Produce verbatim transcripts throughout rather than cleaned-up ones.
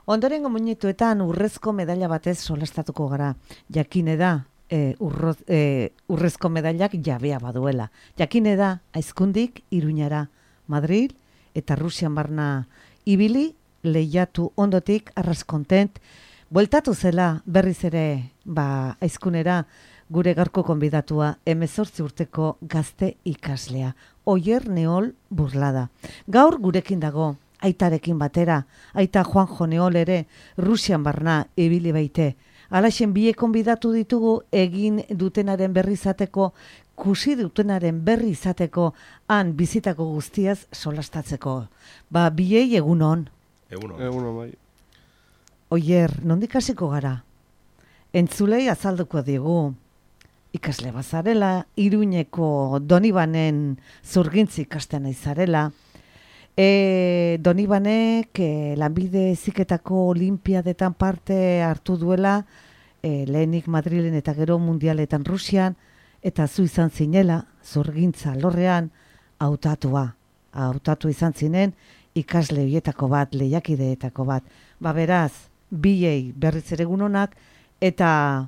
Ondorengo minutuetan urrezko medaila batez solastatuko gara. Jakine da, e, urro, e, urrezko medailak jabea baduela. Jakine da, Aizkundik Iruñara, Madrid eta Rusian barna ibili, lehiatu ondotik arraskontent, bueltatu zela berriz ere ba, Aizkunera gure gaurko konbidatua hemezortzi urteko gazte ikaslea. Oier Neol Burlada. Gaur gurekin dago, aitarekin batera, aita Juanjo Neol ere Rusian barna ibili baite. Alaxen biek konbidatu ditugu egin dutenaren berri izateko, kusi dutenaren berri izateko, han bizitako guztiaz solastatzeko. Ba, biei egunon. Egunon. Egunon, bai. Oier, nondik hasiko gara? Entzulei azalduko digu. Ikasle bazarela, Iruñeko Donibanen zurgintzi ikasten izarela. E, Donibanek e, lanbide heziketako olimpiadetan parte hartu duela, e, lehenik Madrilen eta gero mundialetan Rusian, eta zu izan zinela, zurgintza lorrean, hautatua. Hautatu izan zinen, ikasle horietako bat, lehiakideetako bat. Ba beraz, biei berriz ere egunonak, eta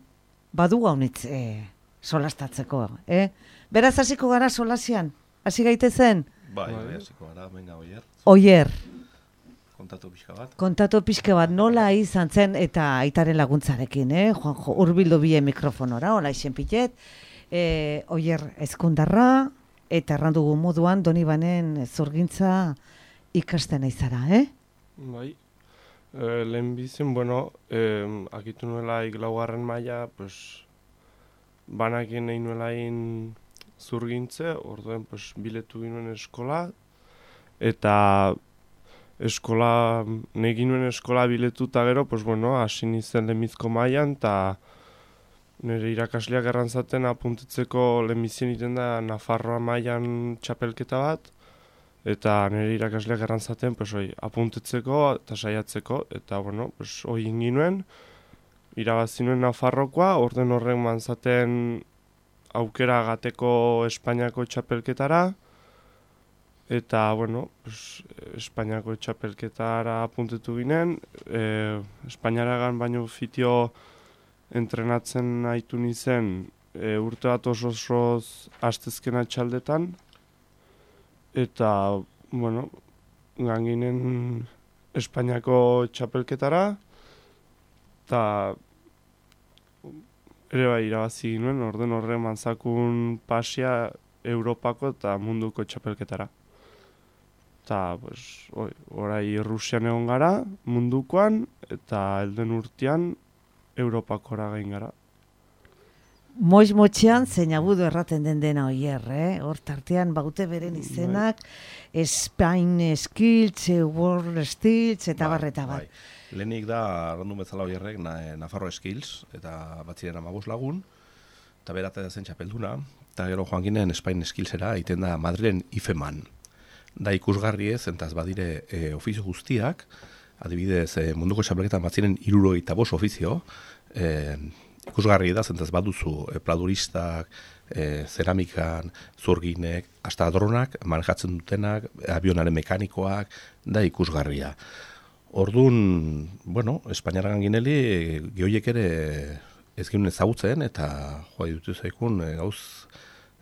badu haunitz e, solastatzeko. Eh? Beraz, hasiko gara solasian? Hasi gaitezen? Bai, bai, hasiko gara, venga, Oier. Oier. Kontatu pixka bat. Kontatu pixka bat, nola izan zen eta aitaren laguntzarekin, eh? Juanjo, urbildu bie mikrofonora, hola isen pitet. E, Oier ezkundarra, eta errandugu moduan Donibanen zurgintza ikasten aizara, eh? Bai. E, lehen bizin, bueno, e, akitu nuela laugarren maila, pues, banakien nahi nuelain zurgintze, orduen pues, biletu ginoen eskola, eta eskola, nahi ginoen eskola biletu eta gero, pues, bueno, hasi nintzen lehenbizko mailan, eta nire irakasleak errantzaten apuntetzeko lehenbizien iten da Nafarroa mailan txapelketa bat, eta nire irakasleak errantzaten pues, oi, apuntetzeko eta saiatzeko, eta bueno, pues, hoi inginuen, irabazinuen Nafarrokoa, orden horren manzaten aukera gateko Espainiako txapelketara, eta, bueno, pues, Espainiako txapelketara apuntetu ginen, e, Espainiaragan baino fitio entrenatzen haitu nizen e, urte bat oso-osoz astezkena txaldetan, eta, bueno, ganginen Espainiako txapelketara, eta ere bai irabazi ginuen, orden horre manzakun pasia Europako eta munduko txapelketara. Eta, pues, oi, orai Rusian egon gara, mundukoan, eta elden urtean Europakora gain gara. Moix-motxean zein agudu erraten den dena Oier, eh? Hor tartean baute beren izenak, Spain Skills, World Skills, eta barreta bat. Bai. Lehenik da, arrandu bezala Oierrek, na, Nafarro Skills, eta batziren amabos lagun, eta berate da zen txapelduna, eta gero joan ginen Spain Skillsera, egiten da Madrilen IFEMAN. Da ikusgarri ez, entaz badire e, ofizio guztiak, adibidez e, munduko txapelketan batziren hirurogeita bost ofizio, e, ikusgarri da, zentaz baduzu e, pladuristak, e, zeramikan, zurginek, hasta dronak, manejatzen dutenak, avionaren mekanikoak, da ikusgarria. Orduan, bueno, Espainiaragan gineli, gehoiek ere ez ginen ezagutzen, eta joa dutu zaikun e, gauz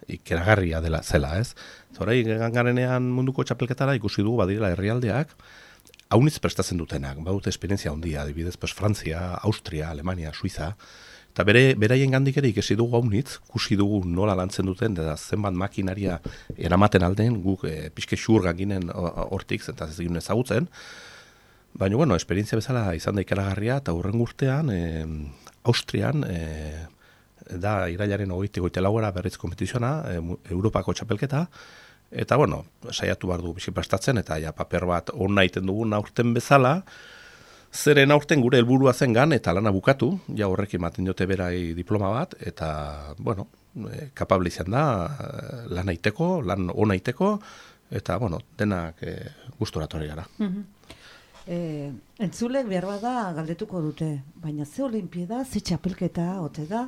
ikeragarria dela zela, ez? Zorai, gangarenean munduko txapelketara ikusi dugu badirela herrialdeak, haunitz prestatzen dutenak, badute esperientzia handia, adibidez, pues, Frantzia, Austria, Alemania, Suiza, eta bere, beraien gandik ere ikesi dugu haunitz, kusi dugu nola lantzen duten, eta zenbat makinaria eramaten alden, guk e, pixke xurgan ginen hortik, eta ez ginen ezagutzen, baina, bueno, esperientzia bezala izan da ikeragarria, eta hurren urtean, e, Austrian, e, da irailaren hogeita goite laugara berriz kompetizioa, e, Europako txapelketa, eta, bueno, saiatu behar du bizi prestatzen, eta ja, paper bat hona egiten dugun aurten bezala, zeren aurten gure helburua zengan, eta lana bukatu, ja horrekin ematen diote berai diploma bat, eta, bueno, e, kapable izan da, lan aiteko, lan hona aiteko, eta, bueno, denak e, gustora torri gara. Mm-hmm. E, entzulek behar bada galdetuko dute, baina ze olimpiada, ze txapelketa, ote da,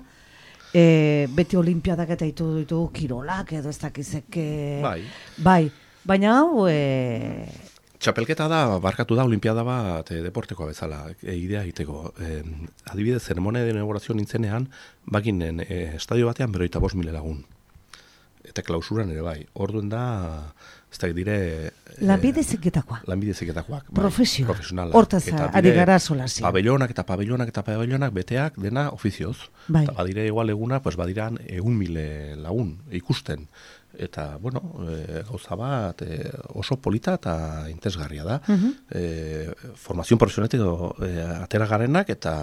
e, beti olimpiadak eta ditu ditugu kirolak edo ez dakizek, Bai. bai, baina hau e, Txapelketa da, barkatu da, olimpiada bat e, deportekoa bezala, e, idea egiteko. E, adibidez, zeremonia de inaugurazio nintzenean, baginen e, estadio batean beroita bost mila lagun. Eta klausuran ere bai. Orduen da, ez da dire... E, Lanbide heziketakoa. Lanbide heziketakoak. Bai, Profesioa. Profesionala. Hortaz, ari gara solazio. Pabellonak eta pabellonak eta pabellonak beteak dena ofizioz. Bai. Eta badire igual eguna, pues badiran egun mile lagun ikusten. Eta, bueno, e, gauza bat e, oso polita eta interesgarria da. Uh -huh. e, formazio profesionetik e, atera garenak eta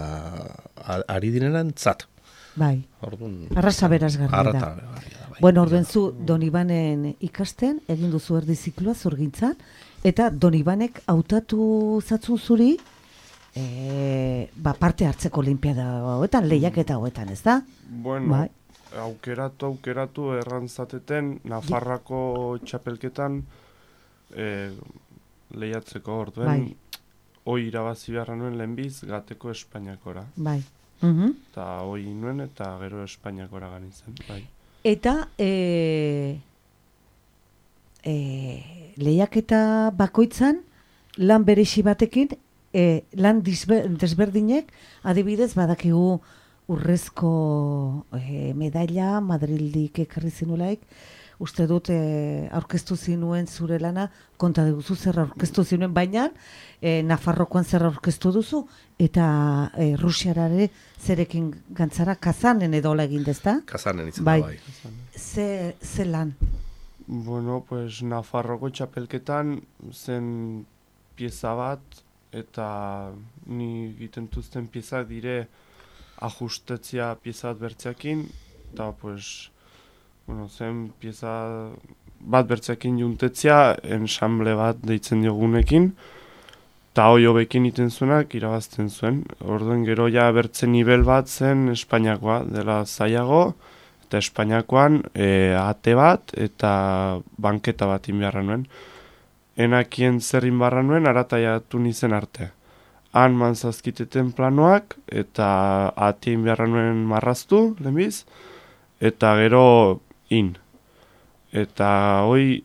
ari direnan zat. Bai, Orduan, arrasa berazgarria arrata da. berazgarria da. Bai. Bueno, orduen zu Donibanen ikasten, egin duzu erdi zikloa zurgintzan, eta Donibanek hautatu zatzun zuri, e, ba, parte hartzeko olimpiada hauetan, lehiaketa hauetan, ez da? Bueno, Bai. aukeratu, aukeratu errantzateten Nafarrako txapelketan e, lehiatzeko orduen. Bai. Hoi irabazi beharra nuen lehenbiz gateko Espainiakora. Bai. Uhum. Eta hoi nuen eta gero Espainiakora gani zen. Bai. Eta e, e, lehiaketa bakoitzan lan berezi batekin, e, lan disbe, desberdinek, adibidez badakigu urrezko e, medaila Madrildik ekarri zinulaik, uste dut e, aurkeztu zinuen zure lana, konta duzu zer aurkeztu zinuen, baina e, Nafarrokoan zer aurkeztu duzu, eta e, Rusiarare zerekin gantzara, Kazanen edo hola egin dezta? Kazanen itzen bai. da bai. Ze, ze lan? Bueno, pues Nafarroko txapelketan zen pieza bat, eta ni egiten duzten piezak dire ajustetzia pieza bat bertzeakin, eta pues, bueno, zen pieza bat bertzeakin juntetzia, ensamble bat deitzen diogunekin, eta hoi hobekin iten zuenak irabazten zuen. Orduen gero ja bertze nivel bat zen Espainiakoa, dela zailago, eta Espainiakoan e, ate bat eta banketa bat inbiarra nuen. Enakien zer inbarra nuen, arataiatu nizen arte. Han manzazkiteten planoak, eta ate inbiarra nuen marraztu, lehenbiz, eta gero in. Eta hoi,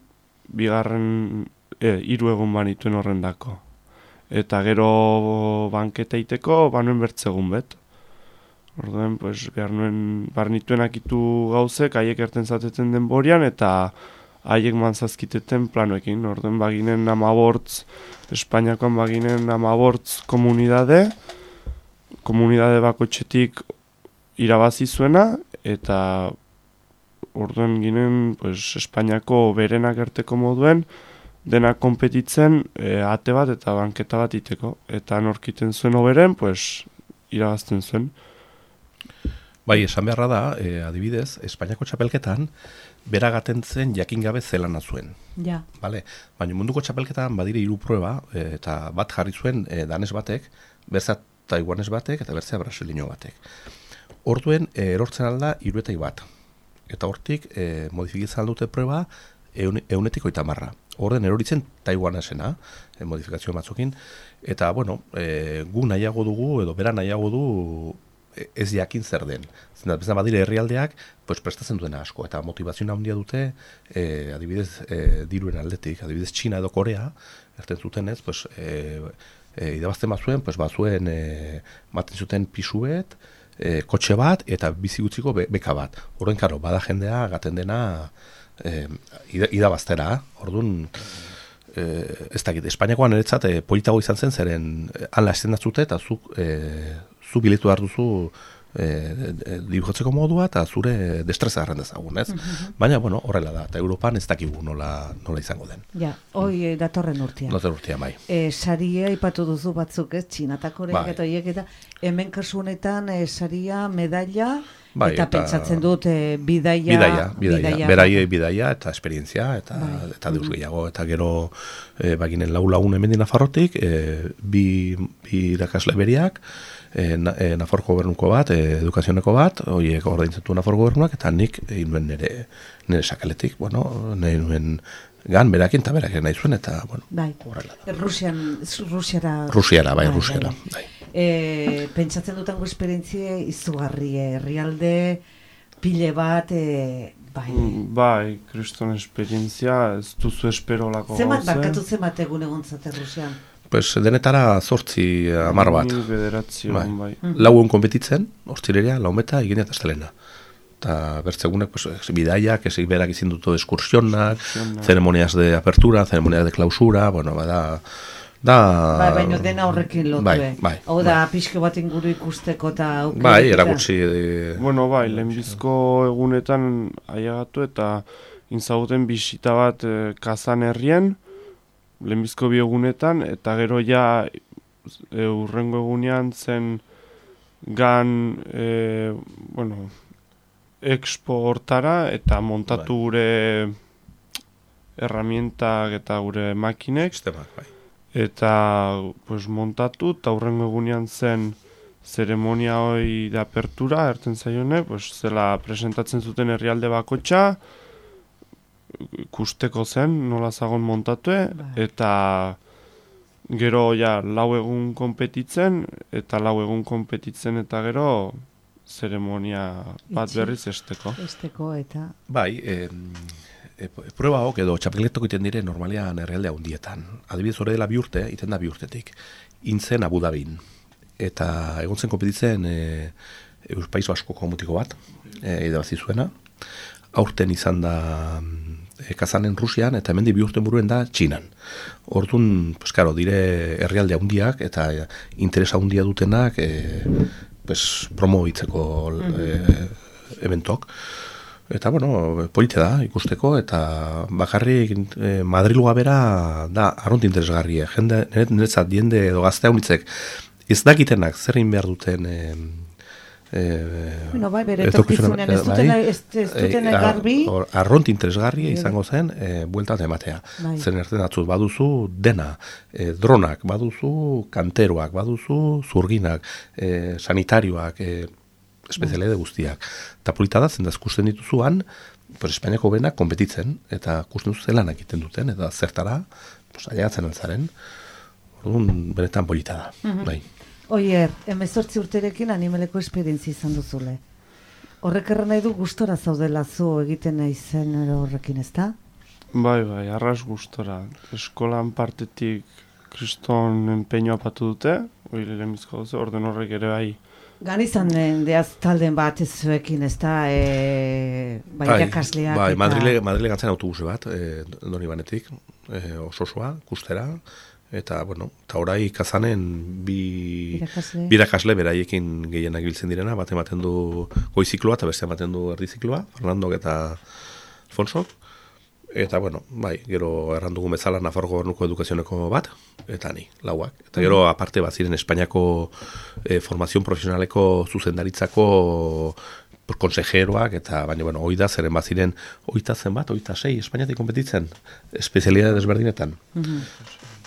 bigarren, e, hiru egun banituen horrendako. Eta gero banketa iteko, banuen bertzegun bet. Orduen, pues, behar nuen, barnituen akitu gauzek, haiek erten zateten denborian, eta haiek manzazkiteten planoekin. Orduen, baginen amabortz, Espainiakoan baginen amabortz komunidade, komunidade bakotxetik irabazi zuena, eta orduen ginen, pues, Espainiako berenak erteko moduen, dena konpetitzen e, ate bat eta banketa bat iteko. Eta norkiten zuen oberen, pues, irabazten zuen. Bai, esan beharra da, e, adibidez, Espainiako txapelketan, beragaten zen jakin gabe zelana zuen. Ja. Vale? Baina munduko txapelketan badire hiru prueba, e, eta bat jarri zuen e, danes batek, berzea taiwanes batek, eta berzea brasilino batek. Orduen, e, erortzen alda hiruetai bat. Eta hortik, e, modifikizan dute prueba, eun, eunetik oita marra. Orden eroritzen taiwanesena, e, modifikazio batzukin, eta, bueno, e, gu nahiago dugu, edo bera nahiago du, ez jakin zer den. Zendat, bezan badire herrialdeak, pues, prestatzen duena asko, eta motivazioa handia dute, e, adibidez, e, diruen aldetik, adibidez, Txina edo Korea, erten zutenez, pues, e, e, idabazten bazuen, pues, bazuen, e, maten zuten pisuet, e, kotxe bat, eta bizi gutziko be, beka bat. Horren, karo, bada jendea, gaten dena, e, idabaztera, orduan, e, ez dakit, Espainiakoan eretzat, e, politago izan zen, zeren, hala estendatzute, eta zuk, e, zu biletu behar duzu e, e, dibujatzeko modua eta zure destreza garran dezagun, ez? Uh-huh. Baina, bueno, horrela da, eta Europan ez dakigu nola, nola izango den. Ja, hoi mm. datorren urtean. Datorren urtean, bai. E, saria ipatu duzu batzuk, ez? Txinatakoreak bai. eta horiek eta hemen kasu honetan e, saria, medaila, bai, eta, eta pentsatzen dut e, bidaia, bidaia, bidaia, bidaia, beraiei bidaia eta esperientzia, eta, bai. eta deus gehiago, eta gero e, baginen lau lagun hemen Nafarrotik, e, bi, bi irakasle beriak, E, na, e, Nafarroko gobernuko bat, e, edukazioneko bat, horiek ordaintzatu Nafarroko gobernuak, eta nik egin nuen nire, nire sakaletik, bueno, nahi nuen gan, berakin eta berakin nahi zuen, eta, bueno, bai. horrela da. Rusian, Rusiara... Rusiara, bai, bai Rusiara. Bai, bai. E, pentsatzen dutango esperientzia izugarri, herrialde, pile bat, e, Bai, Bai, kriston esperientzia, ez duzu esperolako gauze. zemat barkatu zemat egun egon zate Rusian? Pues denetara zortzi hamar bat. Ni bederatzi Bai. egun bai. Lau egun kompetitzen, hortzileria, laumeta, igenia eta estelena. Eta bertzegunek, pues, bidaiak, ez berak izin dutu eskursionak, Eskursionak. ceremonias de apertura, ceremonias de clausura, bueno, bada... Da... Bai, baina dena horrekin lotue. Bai, bai, Hau da, pixko bat inguru ikusteko eta aukera. Bai, erakutsi... eh, Bueno, bai, lehenbizko egunetan aiagatu eta inzaguten bisita bat eh, Kazan herrien, lehenbizko bi egunetan, eta gero ja e, urrengo egunean zen gan, e, bueno, expo hortara, eta montatu Bai. gure herramientak eta gure makinek, sistemak, bai. eta pues, montatu, eta hurrengo egunean zen zeremonia hoi de apertura, erten zaione, pues, zela presentatzen zuten herrialde bakotxa, ikusteko zen, nola zagon montatue, Bai. eta gero ja lau egun konpetitzen, eta lau egun konpetitzen eta gero zeremonia bat Itxi. berriz esteko. Esteko eta... Bai, eh, e, prueba hok edo txapelketok iten dire normalean herrialde handietan. Adibidez hori dela bi urte, iten da bi urtetik. Intzen Abu Dhabin. Eta egon zen kompetitzen e, Paiso Askoko mutiko bat, e, irabazi zuena. Aurten izan da e, Kazanen Rusian, eta hemendik bi urte buruen da Txinan. Orduan, pues, karo, dire herrialde handiak eta e, interesa handia dutenak e, pues, promobitzeko e, eventok. Eta, bueno, polite da ikusteko, eta bakarrik e, Madrilgoa bera da arront interesgarria. Jende, niretzat diende edo gazte haunitzek ez dakitenak zer egin behar duten e, e, Bueno, bai, bere etorkizunean ez dutena, ez, ez dutena e, garbi. ar, arront interesgarria izango zen e, buelta ematea. Bai. Zen erten atzuz baduzu dena, e, dronak, baduzu kanteroak, baduzu zurginak, e, sanitarioak, e, espezialide guztiak. Eta polita da, zendaz kusten dituzuan, pues, Espainiako benak konpetitzen, eta kusten duzu zelanak egiten duten, eta zertara, pues, aiagatzen altzaren, orduan benetan polita da. Mhm. Bai. Oier, emezortzi urterekin animeleko esperientzia izan duzule. Horrek erran nahi du gustora zaudela zu egiten nahi zen horrekin, ez da? Bai, bai, arras gustora. Eskolan partetik kriston empeñoa patu dute, hori lehenbizko gauze, orden horrek ere bai. Gan izan den, deaz talden bat ez zuekin, ez da, e, bai, irakasleak bai, eta... Madrile, Madrile gantzen autobuse bat, e, doni banetik, e, oso-osoa, kustera, eta, bueno, eta orai Kazanen bi Irakasle. birakasle beraiekin gehienak biltzen direna, bat ematen du goizikloa eta beste ematen du erdizikloa, Fernandok eta Alfonsok. Eta, bueno, bai, gero errandugu bezala Nafarro Gobernuko edukazioneko bat, eta ni, lauak. Eta gero, aparte bat ziren Espainiako eh, formazion profesionaleko zuzendaritzako konsejeroak, eta baina, bueno, hoi da, zeren bat ziren, oita zen bat, oita sei, Espainiatik kompetitzen, espezialidade desberdinetan. Mhm.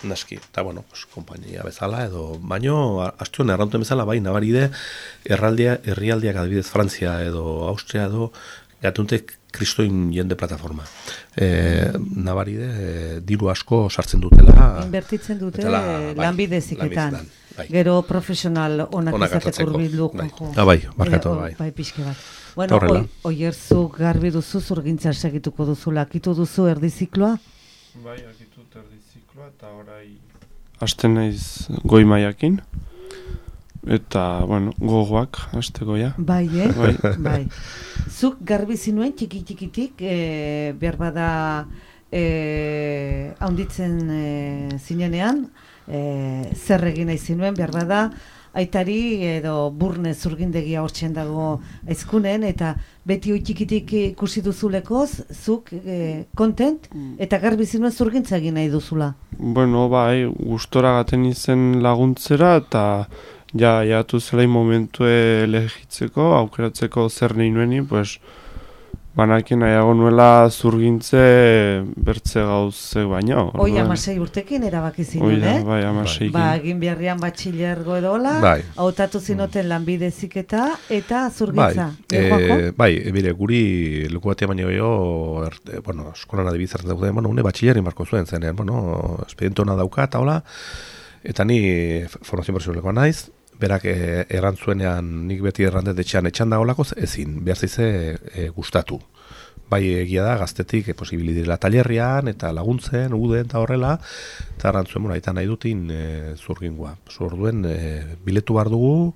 Naski, eta, bueno, pues, kompainia bezala, edo, baino, astuen errantuen bezala, bai, nabaride, erraldea, herrialdiak adibidez Frantzia edo Austria edo, gatuntek kristoin jende plataforma. E, nabaride, e, diru asko sartzen dutela. Inbertitzen dute dutela, eh, bai, lanbideziketan. lanbidezetan, bai. Gero profesional onak Onak izateko hartatzeko, urbildu. bai. jo. Ah, bai, barkatu, Eh, o- bai. Bai, pixke bat. Bueno, Horrela. oi, oierzu garbi duzu, zurgintza segituko duzula, akitu duzu erdizikloa? Bai, akitut erdizikloa, eta orai... Asten naiz goi maiakin, eta, bueno, gogoak, asteko ja. Bai, eh? Bai. Bai. Zuk garbi zinuen txiki-txikitik, e, behar bada e, haunditzen e, zinenean, e, zer egin nahi zinuen, behar bada aitari edo burne zurgindegia hortxen dago aizkunen, eta beti hoi txikitik ikusi duzulekoz, zuk e, kontent, eta garbi zinuen zurgintza egin nahi duzula. Bueno, bai, gustora gaten izen laguntzera, eta ja, jatu zelain momentue elegitzeko, aukeratzeko zer nahi nueni, pues, banakin nahiago nuela zurgintze bertze gauze baino. Hoi orduan. amasei urtekin erabaki Hoi zinuen, da, eh? bai, amaseikin. Ba, egin beharrian batxilergo edola, Bai. hautatu zinoten lanbideziketa eta Bai, zurgintza. e, Eh, Juanjo? bai, bire, guri leku batean baino gehiago, erte, bueno, eskolan adibidez hartzen dago, bueno, une batxillerri marko zuen zenean, bueno, espediente hona dauka, eta hola, eta ni formazio profesionalekoa naiz, berak e, errantzuenean, nik beti errandet etxean etxan dagoelako, ezin, behar zize e, gustatu. bai egia da, gaztetik e, posibili direla talerrian, eta laguntzen, uden, eta horrela, eta arantzuen, bueno, eta nahi dutin e, zurgingua. Zorduen, e, biletu behar dugu,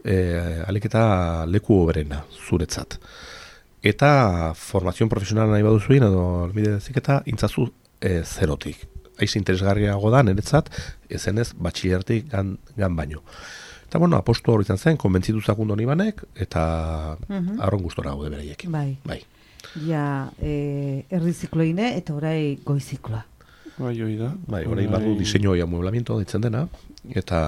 e, alik eta leku oberena, zuretzat. Eta formazion profesionala nahi baduzuin, edo albide dezik eta intzazu e, zerotik. Aiz interesgarriago da, niretzat, ezenez batxillertik gan, gan baino. Eta, bueno, apostu hori izan zen, konbentzitu zakundu honi banek, eta uh-huh. arron gustora gaude bereiekin. Bai. Bai. Ja, e, erdizikloine eta orai goizikloa. Bai, hoi da. Bai, orai badu diseño y amueblamiento ditzen dena, eta,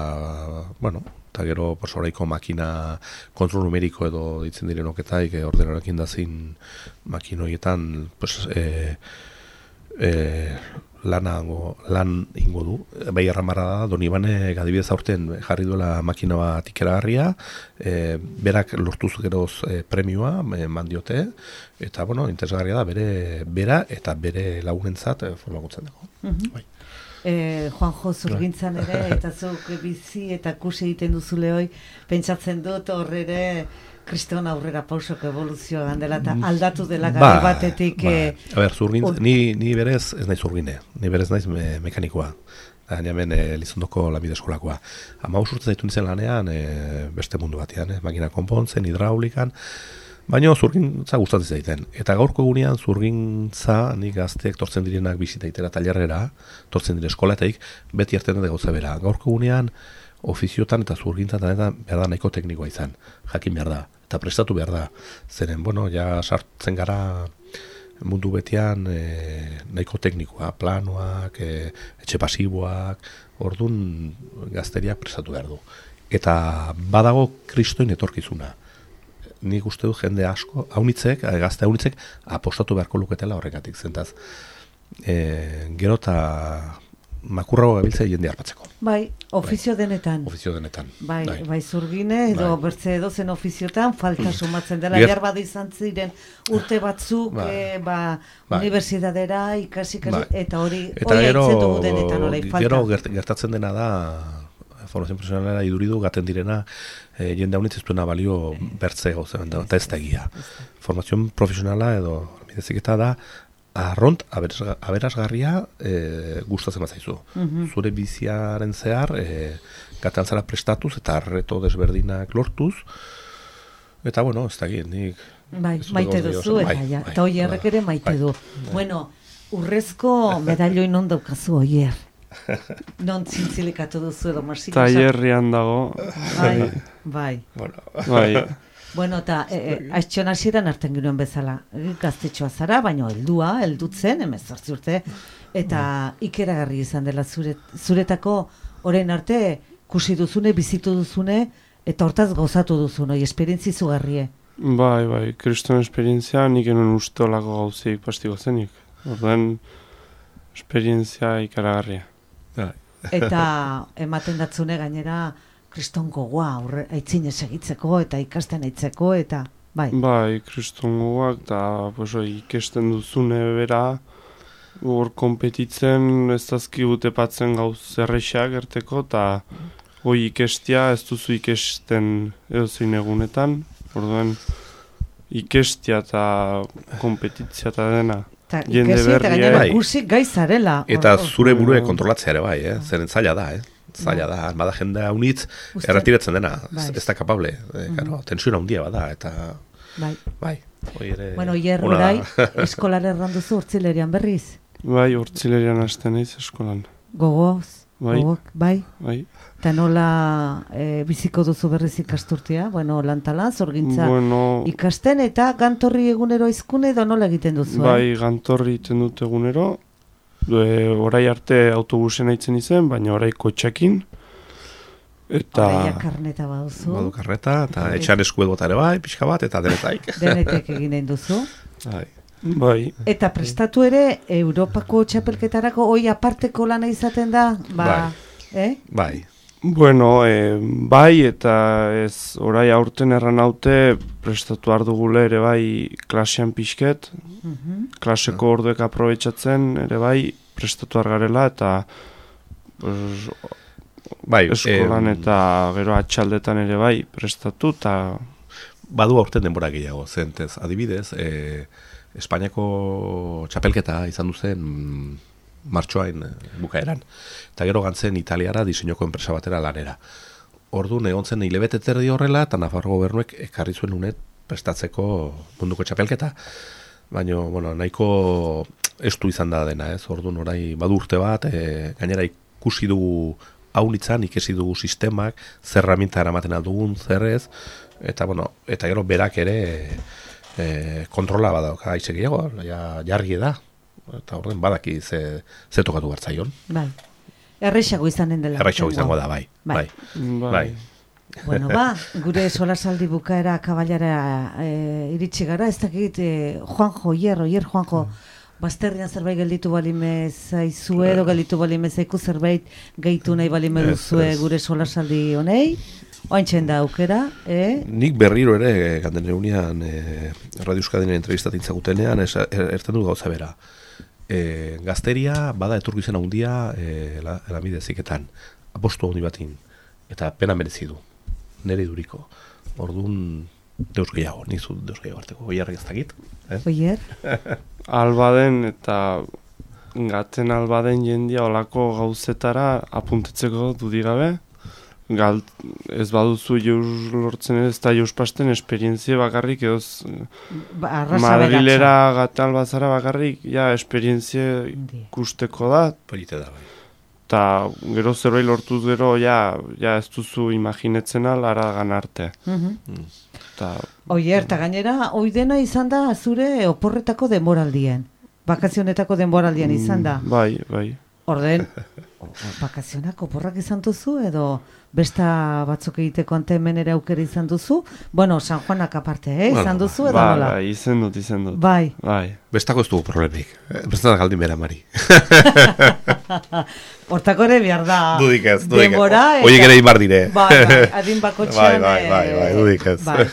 bueno, eta gero, pues, oraiko makina kontrol numeriko edo ditzen direnoketaik, e, ordenarakin dazin makinoietan, pues, e, e, Lanango, lan ingo du. Bai erramarra da, Donibane adibidez aurten jarri duela makina bat ikeragarria, e, berak lortuz geroz e, premioa e, mandiote, eta bueno, interesgarria da bere bera eta bere lagunentzat e, formakuntzen dago. Uh-huh. Bai. E, Juanjo, zurgintzan ere, eta zuk bizi eta kusi egiten duzule hoi, pentsatzen dut horrere kriston aurrera pausok evoluzioa gandela eta aldatu dela gari ba, batetik. Ba. E, A ber, zurgin, un... ni, ni berez ez naiz zurgine, ni berez naiz me, mekanikoa. Baina hemen e, Lizondoko lanbide eskolakoa. Hamabost urte zaitu nintzen lanean e, beste mundu batean, e, makina konpontzen, hidraulikan, baina zurgintza gustatzen zaiten. Eta gaurko egunean zurgintza nik gazteek tortzen direnak bizitaitera talerrera, tortzen dire eskolateik, beti erten dut gauza bera. Gaurko egunean ofiziotan eta zurgintzatan eta behar da nahiko teknikoa izan, jakin behar da, eta prestatu behar da. Zeren, bueno, ja sartzen gara mundu betian e, nahiko teknikoa, planoak, e, etxe pasiboak, orduan gazteriak prestatu behar du. Eta badago kristoin etorkizuna. Nik uste du jende asko, haunitzek, gazte haunitzek, apostatu beharko luketela horregatik, zentaz. E, gero eta makurrago gabiltzea jende harpatzeko. Bai, ofizio bai. denetan. Ofizio denetan. Bai, bai, bai zurgine edo bai. bertze edozen ofiziotan falta sumatzen dela. Ger... Jarbadu izan ziren urte batzuk bai. E, ba, bai. Unibertsitatera ikasi, ikasi bai. eta hori haitzen dugu denetan orai falta. Gero gert, gertatzen dena da, formazio profesionalera iduridu gaten direna, e, jende haunitz ez duena balio bertze gauzen, eta ez da egia. Formazio profesionala edo mideziketa da, arront aberasgarria e, gustatzen bat zaizu. Uh-huh. Zure biziaren zehar e, gatean zara prestatuz eta reto desberdinak lortuz, eta bueno, ez da egin, nik bai, maite duzu, eta bai, ja, bai, eta oierrek ere maite bai, du. Bai. Bueno, urrezko medailoi non daukazu oier. Non zintzilikatu duzu edo marsik. Taierrian dago. Bai, bai. Bueno, bai. Bueno, eta e, e, aiztxon hasieran hartzen ginoen bezala. Gaztetxoa zara, baina heldua, heldutzen, hemezortzi urte, eta ikeragarri izan dela zure, zuretako orain arte kusi duzune, bizitu duzune, eta hortaz gozatu duzune, esperientzi zugarrie. Bai, bai, kriston esperientzia nik enuen uste olako gauzik pastiko zenik. Orduan, esperientzia ikeragarria. Eta ematen datzune gainera, kriston gogoa aitzinez egitzeko eta ikasten aitzeko eta bai. Bai, kriston gogoak eta pues, ikesten duzune bera hor konpetitzen ez dazki utepatzen gauz zerrexak erteko eta hoi ikestia ez duzu ikesten edo zein egunetan. Orduan ikestia eta kompetitzia eta dena. Ta, jende berria. Bai. Gaizarela. Eta zure burue kontrolatzea ere bai, eh? Zeren zaila da, eh? Zaila da, bada jendea unitz erretiratzen dena, bai. ez da kapable, e, claro, tensiona handia bada, eta bai, bai. Ere, bueno, hier orai, eskolan erranduzu urtzilerian berriz? Bai, urtzilerian hasten naiz eskolan. Gogoz? Bai. Gogok, bai? Bai. Eta nola e, biziko duzu berriz ikasturtea? Bueno, lantalan, zorgintza bueno, ikasten, eta gantorri egunero izkune edo nola egiten duzu? Bai, eh? gantorri egiten dut egunero, E, orai arte autobusen aitzen izen, baina orai kotxekin. Eta... Oraia karneta baduzu. Badu karneta, eta etxan eskuet bota ere bai, pixka bat, eta denetaik. Denetek egin nahi duzu. Bai. Bai. Eta prestatu ere, Europako txapelketarako hoi aparteko lana izaten da? Ba, bai. Eh? Bai. Bueno, e, bai, eta ez orai aurten erran haute prestatu ardugule ere bai klasean pixket, uh-huh. klaseko uh-huh. orduek aprobetsatzen ere bai prestatu argarela, eta pues, bai, eskolan eh, eta gero atxaldetan ere bai prestatu, eta... Badu aurten denbora gehiago, zentez, adibidez, e, Espainiako txapelketa izan duzen martxoain bukaeran. Eta gero gantzen Italiara diseinoko enpresa batera lanera. Orduan egon zen hilabete terdi horrela, eta Nafarro gobernuek ekarri zuen unet prestatzeko munduko txapelketa. Baina, bueno, nahiko estu izan da dena, ez? Orduan orai badu urte bat, e, gainera ikusi dugu aunitzan, ikesi dugu sistemak, zer herramienta eramaten aldugun, zer ez, eta, bueno, eta gero berak ere e, kontrola badauka aize gehiago, ja, jarri da, eta orden badaki ze, ze tokatu hartzaion. Bai. Erreixago izanen dela. Erreixago izango da, bai. Bai. Bai. bai. Bueno, ba, gure solasaldi bukaera kabalara e, iritsi gara, ez dakit, e, Juanjo, Oier, Oier, Juanjo, bazterrian zerbait gelditu balime zaizue, edo gelditu balime zaiku zerbait gehitu nahi balime duzue gure solasaldi honei, oaintzen da aukera, eh? Nik berriro ere, ganden egunean, e, Radio Euskadinen entrevistatin zagutenean, er, erten du gauza bera. E, gazteria bada etorkizena handia e, elamide ziketan, apostu handi batin, eta pena merezi du, nire duriko. Orduan, deus gehiago, nizu deus gehiago arteko, Oierrek ez dakit. Eh? Oier? Albaden eta gaten albaden jendia olako gauzetara apuntetzeko dudigabe. Galt, ez baduzu jauz lortzen ez da jauz pasten esperientzia bakarrik edo Ba, Madrilera gate albazara bakarrik ja esperientzia ikusteko da. Polite da, bai. Eta gero zerbait lortuz gero ja, ja ez duzu imaginetzen alara ganarte. Mhm. Mm. Ta, Oier, eta gainera, oidena izan da zure oporretako denboraldien. Bakazionetako denboraldien izan da. Bai, bai. Orden, bakazionak oporrak izan duzu edo besta batzuk egiteko antemenera aukera izan duzu? Bueno, San Juanak aparte, eh? Izan Bueno, duzu edo Bai, nola? bai, izen dut, izen dut. Bai. Bai. Bestako ez dugu problemik. Besta da galdin bera, Mari. Hortako ere behar da Dudik ez, dudik ez. denbora. Oiek ere inbar dire. Bai, bai, adin bakotxean. Bai, bai, bai, bai, dudik ez. Bai.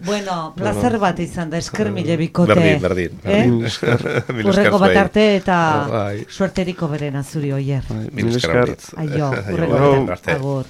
Bueno, placer bat izan da, esker mile bikote. Berdin, berdin. Eh? Mil esker. Mil esker Urreko bat zuei. arte eta Bai. suerteriko berena zuri, Oier. Bai, Mil esker. Aio, Aio, urreko aio, bat arte. arte. Agur.